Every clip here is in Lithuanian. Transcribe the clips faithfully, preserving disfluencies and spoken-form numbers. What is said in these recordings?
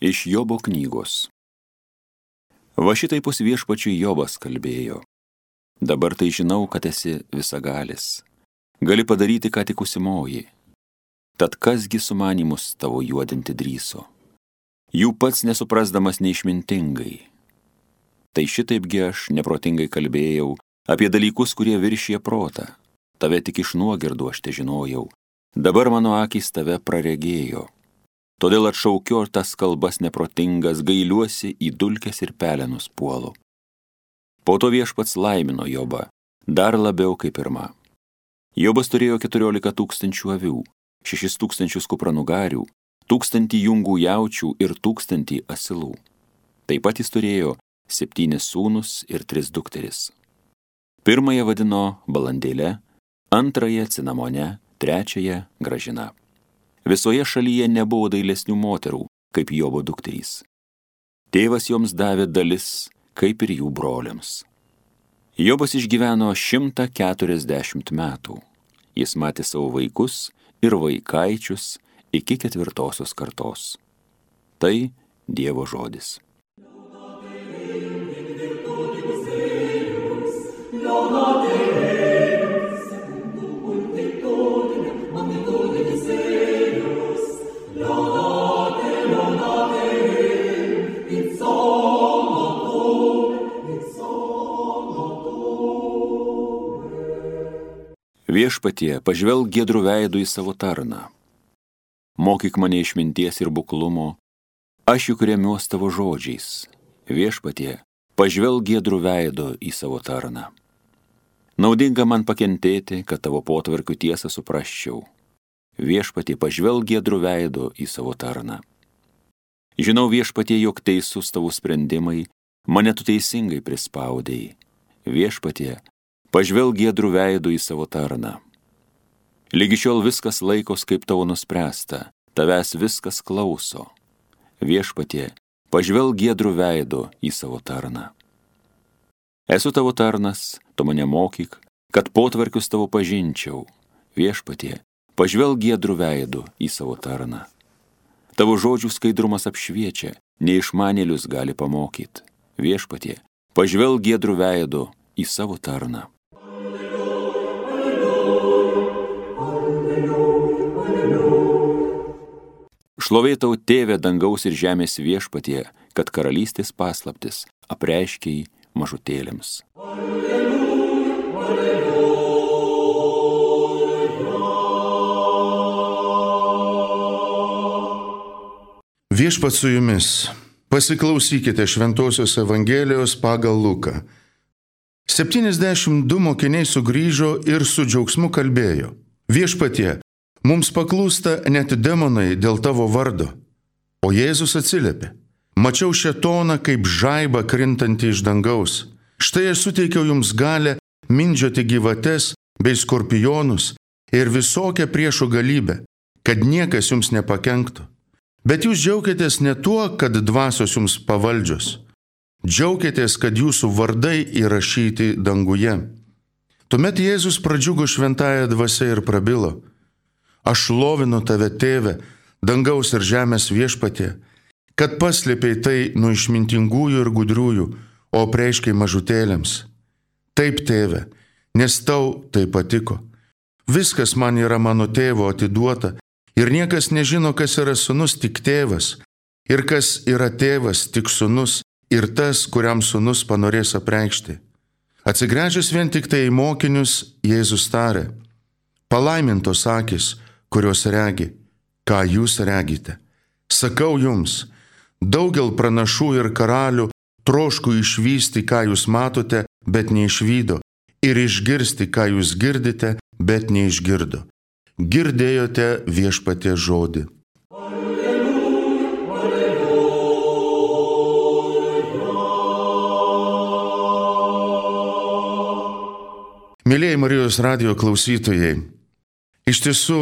Iš Jobo knygos. Va šitaipus viešpačiui Jobas kalbėjo. Dabar tai žinau, kad esi visagalis. Gali padaryti, ką tik užsimoji. Tad kasgi sumanimus tavo juodinti drįso? Jų pats nesuprasdamas neišmintingai. Tai šitaipgi aš neprotingai kalbėjau apie dalykus, kurie viršė protą. Tave tik iš nuogirdų aš te žinojau. Dabar mano akys tave praregėjo. Todėl atšaukiu tas kalbas neprotingas, gailiuosi į dulkes ir pelenus puolu. Po to viešpats laimino Jobą, dar labiau kaip pirma. Jobas turėjo keturiolika tūkstančių avių, šešis tūkstančius kupranugarių, tūkstantį jungų jaučių ir tūkstantį asilų. Taip pat jis turėjo septynis sūnus ir tris dukteris. Pirmąją vadino balandėle, antrąją cinamone, trečiąją gražina. Visoje šalyje nebuvo dailesnių moterų, kaip Jobo dukterys. Tėvas joms davė dalis, kaip ir jų broliams. Jobas išgyveno šimtą keturiasdešimt metų. Jis matė savo vaikus ir vaikaičius iki ketvirtosios kartos. Tai Dievo žodis. Viešpatie, pažvelk giedrų veidų į savo tarną. Mokyk mane išminties ir buklumo, aš juk remiuos tavo žodžiais. Viešpatie, pažvelk giedrų veidų į savo tarną. Naudinga man pakentėti, kad tavo potvarkių tiesą suprasčiau. Viešpatie, pažvelk giedrų veidų į savo tarną. Žinau, viešpatie, jog teisus tavo sprendimai, mane tu teisingai prispaudėjai. Viešpatie, pažvelk giedrų veidų į savo tarną. Lygi šiol viskas laikos, kaip tavo nuspręsta, tavęs viskas klauso. Viešpatie, pažvelk giedrų veidų į savo tarną. Esu tavo tarnas, tu mane mokyk, kad potvarkius tavo pažinčiau. Viešpatie, pažvelk giedrų veidų į savo tarną. Tavo žodžių skaidrumas apšviečia, neišmanėlius gali pamokyti. Viešpatie, pažvelk giedrų veidų į savo tarną. Šlovė tau, Tėve, dangaus ir žemės viešpatie, kad karalystės paslaptis apreiškei mažutėlėms. Viešpats su jumis. Pasiklausykite Šventosios Evangelijos pagal Luką. septyniasdešimt du mokiniai sugrįžo ir su džiaugsmu kalbėjo. Viešpatie, mums paklūsta net demonai dėl tavo vardo. O Jėzus atsiliepė. Mačiau šėtoną kaip žaibą krintantį iš dangaus. Štai aš suteikiau jums galę mindžioti gyvates bei skorpionus ir visokią priešų galybę, kad niekas jums nepakenktų. Bet jūs džiaukitės ne tuo, kad dvasios jums pavaldžios. Džiaukitės, kad jūsų vardai įrašyti danguje. Tuomet Jėzus pradžiugo šventąją dvasią ir prabilo. Aš šlovinu tave, Tėve, dangaus ir žemės viešpatie, kad paslėpei tai nuo išmintingųjų ir gudriųjų, o apreiškei mažutėlėms. Taip, Tėve, nes tau tai patiko. Viskas man yra mano tėvo atiduota, ir niekas nežino, kas yra sūnus, tik tėvas, ir kas yra tėvas, tik sūnus, ir tas, kuriam sūnus panorės apreikšti. Atsigręžęs vien tik tai į mokinius, Jėzus tarė, palaimintos akys, kurios regi, ką jūs regite. Sakau jums, daugel pranašų ir karalių troško išvysti, ką jūs matote, bet neišvydo, ir išgirsti, ką jūs girdite, bet neišgirdo. Girdėjote viešpaties žodį. Mėlieji Marijos radijo klausytojai, iš tiesų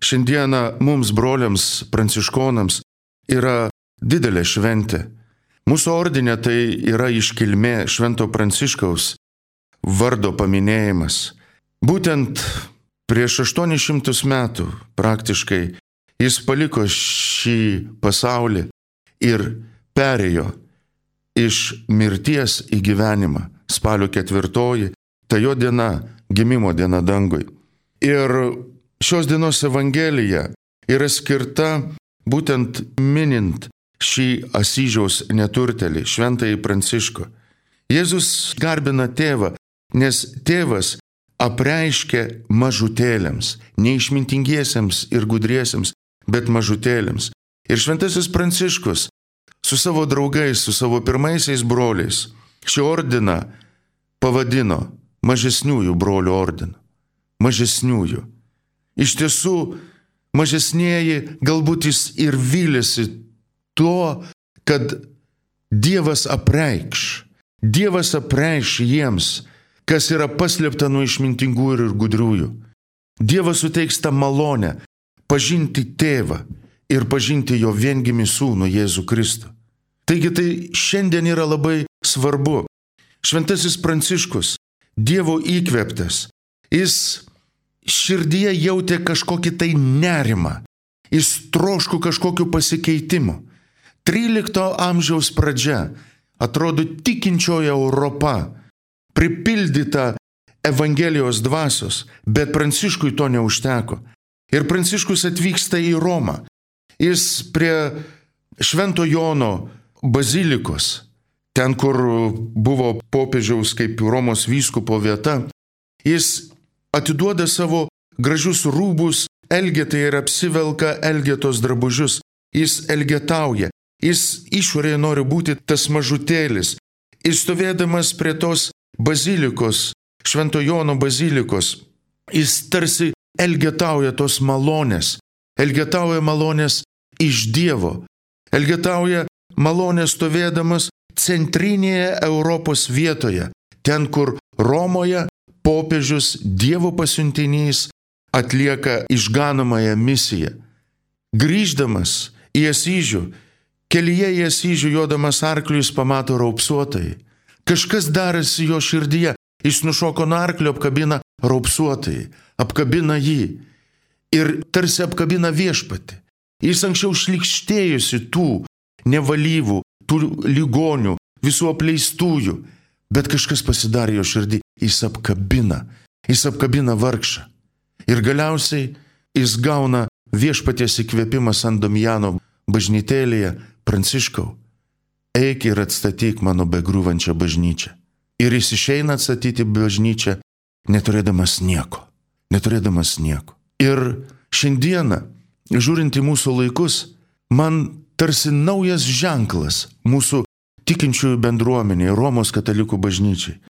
šiandieną mums broliams pranciškonams yra didelė šventė. Mūsų ordine tai yra iškilmė Švento Pranciškaus vardo paminėjimas. Būtent prieš aštuonis šimtus metų praktiškai jis paliko šį pasaulį ir perėjo iš mirties į gyvenimą. Spalio ketvirtoji, ta jo diena, gimimo diena dangui. Ir šios dienos Evangelija yra skirta būtent minint šį Asyžiaus neturtelį, šventąjį Pranciškų. Jėzus garbina tėvą, nes tėvas apreiškia mažutėliams, neišmintingiesiems ir gudriesiems, bet mažutėliams. Ir šventasis Pranciškus su savo draugais, su savo pirmaisiais broliais šį ordiną pavadino mažesniųjų brolių ordinu. Mažesniųjų. Iš tiesų, mažesnieji galbūt jis ir vylėsi tuo, kad Dievas apreikš. Dievas apreikš jiems, kas yra paslėpta nuo išmintingų ir gudriųjų. Dievas suteiks tą malonę pažinti tėvą ir pažinti jo viengimį sūnų Jėzų Kristų. Taigi tai šiandien yra labai svarbu. Šventasis Pranciškus, Dievo įkvėptas, jis širdyje jautė kažkokį tai nerimą, jis troško kažkokiu pasikeitimu. trylikto amžiaus pradžia, atrodo tikinčioji Europa, pripildyta Evangelijos dvasios, bet Pranciškui to neužteko. Ir Pranciškus atvyksta į Romą. Jis prie Švento Jono bazilikos, ten, kur buvo popiežiaus kaip Romos vyskupo vieta, jis atiduoda savo gražius rūbus Elgetai ir apsivelka Elgetos drabužius. Jis elgetauja, jis išorėje nori būti tas mažutėlis. Jis stovėdamas prie tos bazilikos, Švento Jono bazilikos, jis tarsi elgetauja tos malonės, elgetauja malonės iš Dievo, elgetauja malonės stovėdamas centrinėje Europos vietoje, ten, kur Romoje popiežius Dievo pasiuntinys atlieka išganomąją misiją. Grįždamas į Asyžių, kelyje į Asyžių jodamas arkliu jis pamato raupsuotojai. Kažkas darėsi jo širdyje, jis nušoko nuo arklio, apkabina raupsuotojai, apkabina jį ir tarsi apkabina viešpatį. Jis anksčiau šlykštėjusi tų nevalyvų, tų ligonių, visų apleistųjų, bet kažkas pasidarė jo širdį, jis apkabina, jis apkabina vargšą. Ir galiausiai jis gauna viešpaties įkvėpimą San Damiano bažnytėlėje: Pranciškau, eik ir atstatyk mano begriūvančią bažnyčią. Ir jis išeina atstatyti bažnyčią, neturėdamas nieko, neturėdamas nieko. Ir šiandieną, žiūrint į mūsų laikus, man tarsi naujas ženklas mūsų tikinčiųjų bendruomenėje, Romos katalikų bažnyčiai.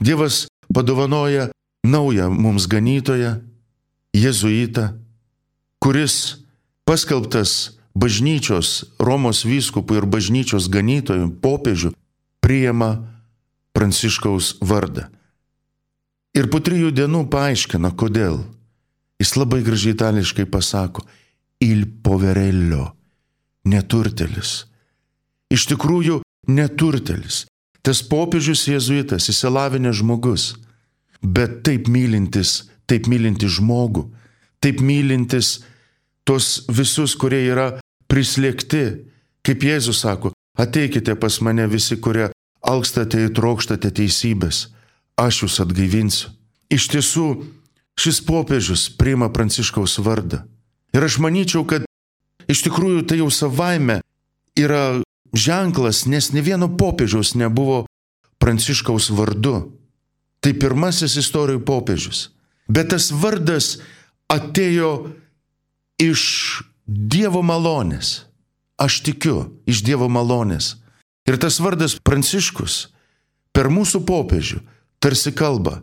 Dievas padovanoja naują mums ganytoją, jėzuitą, kuris paskelbtas bažnyčios, Romos vyskupų ir bažnyčios ganytojų, popiežių, priima Pranciškaus vardą. Ir po trijų dienų paaiškina, kodėl. Jis labai gražiai itališkai pasako: il poverello, neturtelis. Iš tikrųjų, neturtelis. Tas popiežius jėzuitas, išsilavinęs žmogus, bet taip mylintis, taip mylintis žmogų, taip mylintis tos visus, kurie yra prislėgti. Kaip Jėzus sako: ateikite pas mane visi, kurie alkstate ir trokštate teisybės, aš jūs atgaivinsiu. Iš tiesų, šis popiežius priima Pranciškaus vardą. Ir aš manyčiau, kad iš tikrųjų tai jau savaime yra ženklas, nes ne vieno popiežiaus nebuvo Pranciškaus vardu. Tai pirmasis istorijų popiežius. Bet tas vardas atėjo iš Dievo malonės. Aš tikiu, iš Dievo malonės. Ir tas vardas Pranciškus per mūsų popiežių tarsi kalba: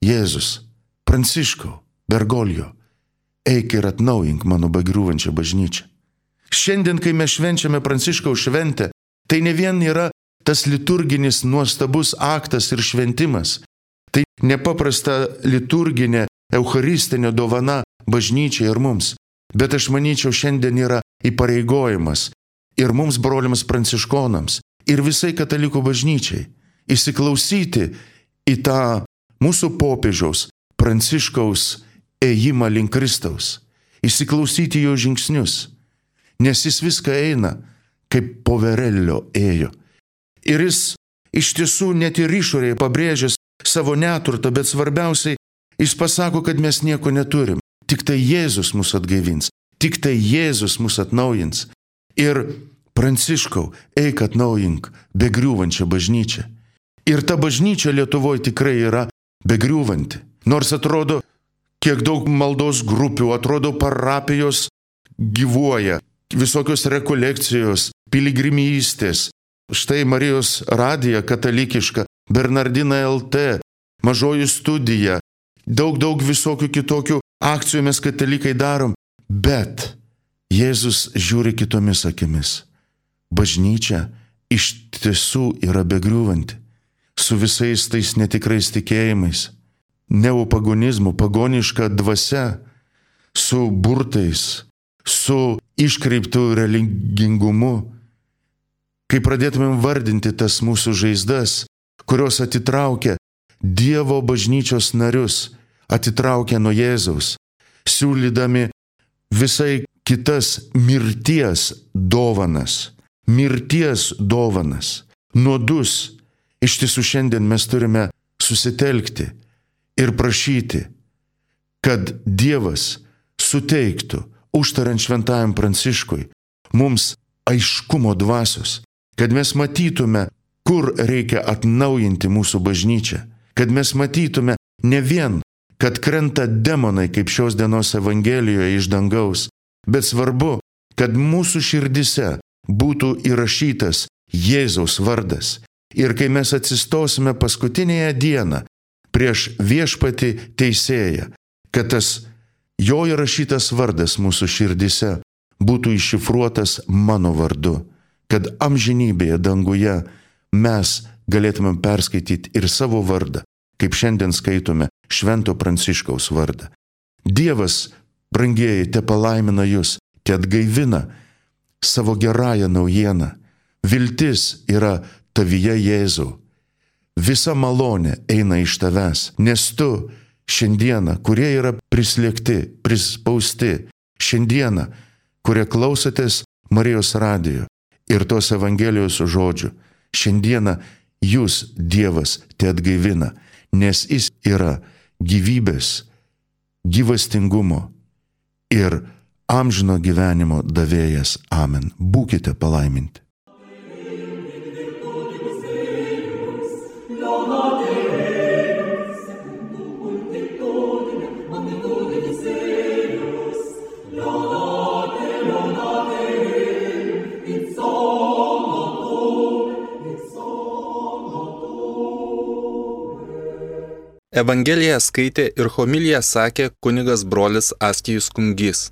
Jėzus, Pranciškau, Bergoglio, eik ir atnaujink mano begriūvančią bažnyčią. Šiandien, kai mes švenčiame Pranciškaus šventę, tai ne vien yra tas liturginis nuostabus aktas ir šventimas. Tai nepaprasta liturginė, eucharistinė dovana bažnyčiai ir mums. Bet aš manyčiau, šiandien yra įpareigojimas ir mums, broliams pranciškonams, ir visai katalikų bažnyčiai įsiklausyti į tą mūsų popiežiaus Pranciškaus ėjimą link Kristaus, įsiklausyti jo žingsnius, nes jis viską eina kaip poverelio ėjo. Ir jis iš tiesų net ir išorėje pabrėžęs savo neturtą, bet svarbiausiai jis pasako, kad mes nieko neturim. Tik tai Jėzus mus atgaivins, tik tai Jėzus mus atnaujins. Ir Pranciškau, eik atnaujink begriūvančią bažnyčią. Ir ta bažnyčia Lietuvoje tikrai yra begriūvanti. Nors atrodo, kiek daug maldos grupių, atrodo parapijos gyvuoja, visokios rekolekcijos, piligrimystės. Štai Marijos radija katalikiška, Bernardina L T, mažoji studija, daug daug visokių kitokių akcijų mes katalikai darom, bet Jėzus žiūri kitomis akimis. Bažnyčia iš tiesų yra begriūvanti, su visais tais netikrais tikėjimais, neopagonizmu, pagoniška dvasia, su burtais, su iškreiptų religingumu. Kai pradėtumėm vardinti tas mūsų žaizdas, kurios atitraukia Dievo bažnyčios narius, atitraukia nuo Jėzaus, siūlydami visai kitas mirties dovanas, mirties dovanas, nuodus. Iš tiesų šiandien mes turime susitelkti ir prašyti, kad Dievas suteiktų, užtariant šventajam Pranciškui, mums aiškumo dvasios, kad mes matytume, kur reikia atnaujinti mūsų bažnyčią, kad mes matytume ne vien, kad krenta demonai kaip šios dienos Evangelijoje iš dangaus, bet svarbu, kad mūsų širdise būtų įrašytas Jėzaus vardas. Ir kai mes atsistosime paskutinėje dieną prieš viešpatį teisėją, kad tas jo įrašytas vardas mūsų širdise būtų iššifruotas mano vardu, kad amžinybėje danguje mes galėtumėm perskaityti ir savo vardą, kaip šiandien skaitome Švento Pranciškaus vardą. Dievas, brangieji, te palaimina jūs, te atgaivina savo gerąją naujieną. Viltis yra tavyje, Jėzau. Visa malonė eina iš tavęs, nes tu šiandieną, kurie yra prislėgti, prispausti, šiandieną, kurie klausotės Marijos radijo ir tos Evangelijos žodžių, šiandieną jūs, Dievas, te atgaivina, nes jis yra gyvybės, gyvastingumo ir amžino gyvenimo davėjas. Amen. Būkite palaiminti. Evangeliją skaitė ir homiliją sakė kunigas brolis Astijus Kungys.